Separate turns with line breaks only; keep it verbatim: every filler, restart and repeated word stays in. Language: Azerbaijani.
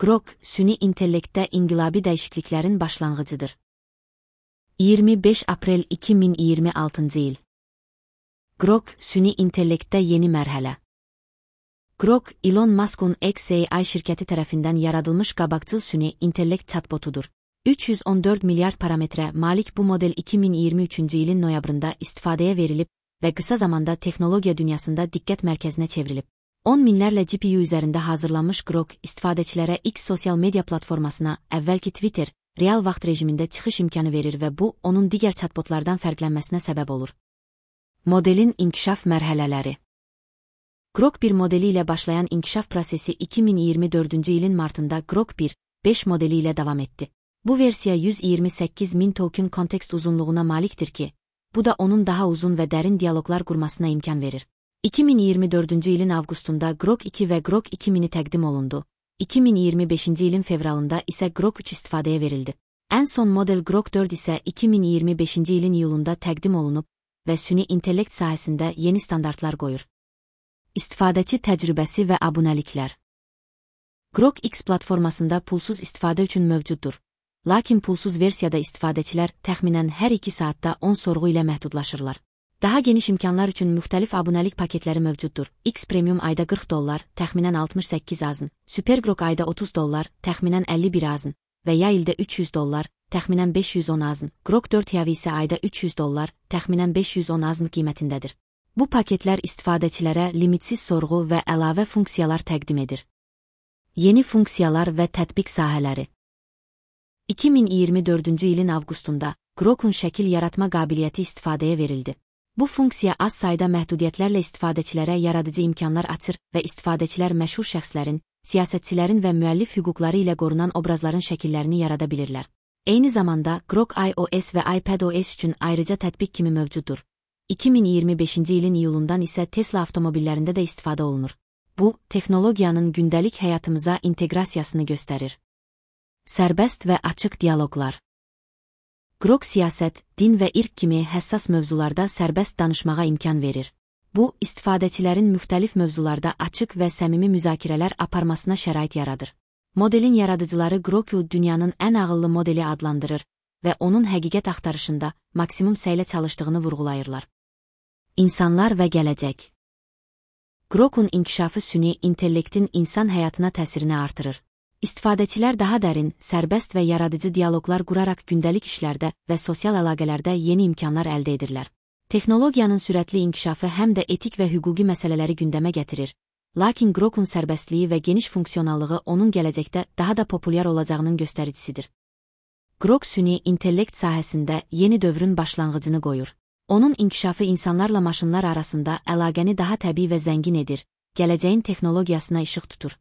Grok, süni intellektdə inqilabi dəyişikliklərin başlanğıcıdır. iyirmi beş aprel iki min iyirmi altıncı il. Grok, süni intellektdə yeni mərhələ. Grok, Elon Musk'un X A I şirkəti tərəfindən yaradılmış qabaqcıl süni intellekt chatbotudur. üç yüz on dörd milyard parametrə malik bu model iki min iyirmi üçüncü ilin noyabrında istifadəyə verilib və qısa zamanda texnologiya dünyasında diqqət mərkəzinə çevrilib. on minlərlə G P U üzərində hazırlanmış Grok, istifadəçilərə X sosial media platformasına, əvvəlki Twitter, real vaxt rejimində çıxış imkanı verir və bu, onun digər chatbotlardan fərqlənməsinə səbəb olur. Modelin inkişaf mərhələləri. Grok bir modeli ilə başlayan inkişaf prosesi iki min iyirmi dördüncü ilin martında Grok bir nöqtə beş modeli ilə davam etdi. Bu versiya yüz iyirmi səkkiz min token kontekst uzunluğuna malikdir ki, bu da onun daha uzun və dərin diyaloqlar qurmasına imkan verir. iki min iyirmi dördüncü ilin avqustunda Grok iki və Grok iki mini təqdim olundu. iki min iyirmi beşinci ilin fevralında isə Grok üç istifadəyə verildi. Ən son model Grok dörd isə iki min iyirmi beşinci ilin iyulunda təqdim olunub və süni intellekt sahəsində yeni standartlar qoyur. İstifadəçi təcrübəsi və abunəliklər. Grok X platformasında pulsuz istifadə üçün mövcuddur. Lakin pulsuz versiyada istifadəçilər təxminən hər iki saatda on sorğu ilə məhdudlaşırlar. Daha geniş imkanlar üçün müxtəlif abunəlik paketləri mövcuddur. X Premium ayda qırx dollar, təxminən altmış səkkiz azın, Super Grok ayda otuz dollar, təxminən əlli bir azın və ya ildə üç yüz dollar, təxminən beş yüz on azın. Grok dörd Heavy isə ayda üç yüz dollar, təxminən beş yüz on azın qiymətindədir. Bu paketlər istifadəçilərə limitsiz sorğu və əlavə funksiyalar təqdim edir. Yeni funksiyalar və tətbiq sahələri. iki min iyirmi dördüncü ilin avqustunda Grok'un şəkil yaratma qabiliyyəti istifadəyə verildi. Bu funksiya az sayda məhdudiyyətlərlə istifadəçilərə yaradıcı imkanlar açır və istifadəçilər məşhur şəxslərin, siyasətçilərin və müəllif hüquqları ilə qorunan obrazların şəkillərini yarada bilirlər. Eyni zamanda Grok iOS və iPadOS üçün ayrıca tətbiq kimi mövcuddur. iki min iyirmi beşinci ilin iyulundan isə Tesla avtomobillərində də istifadə olunur. Bu, texnologiyanın gündəlik həyatımıza inteqrasiyasını göstərir. Sərbəst və açıq dialoqlar. Grok siyasət, din və irq kimi həssas mövzularda sərbəst danışmağa imkan verir. Bu, istifadəçilərin müxtəlif mövzularda açıq və səmimi müzakirələr aparmasına şərait yaradır. Modelin yaradıcıları Grok'u dünyanın ən ağıllı modeli adlandırır və onun həqiqət axtarışında maksimum səylə çalışdığını vurğulayırlar. İnsanlar və gələcək. Grok'un inkişafı süni intellektin insan həyatına təsirini artırır. İstifadəçilər daha dərin, sərbəst və yaradıcı dialoqlar quraraq gündəlik işlərdə və sosial əlaqələrdə yeni imkanlar əldə edirlər. Texnologiyanın sürətli inkişafı həm də etik və hüquqi məsələləri gündəmə gətirir. Lakin Grok'un sərbəstliyi və geniş funksionallığı onun gələcəkdə daha da populyar olacağının göstəricisidir. Grok süni intellekt sahəsində yeni dövrün başlanğıcını qoyur. Onun inkişafı insanlarla maşınlar arasında əlaqəni daha təbii və zəngin edir, gələcəyin texnologiyasına işıq tutur.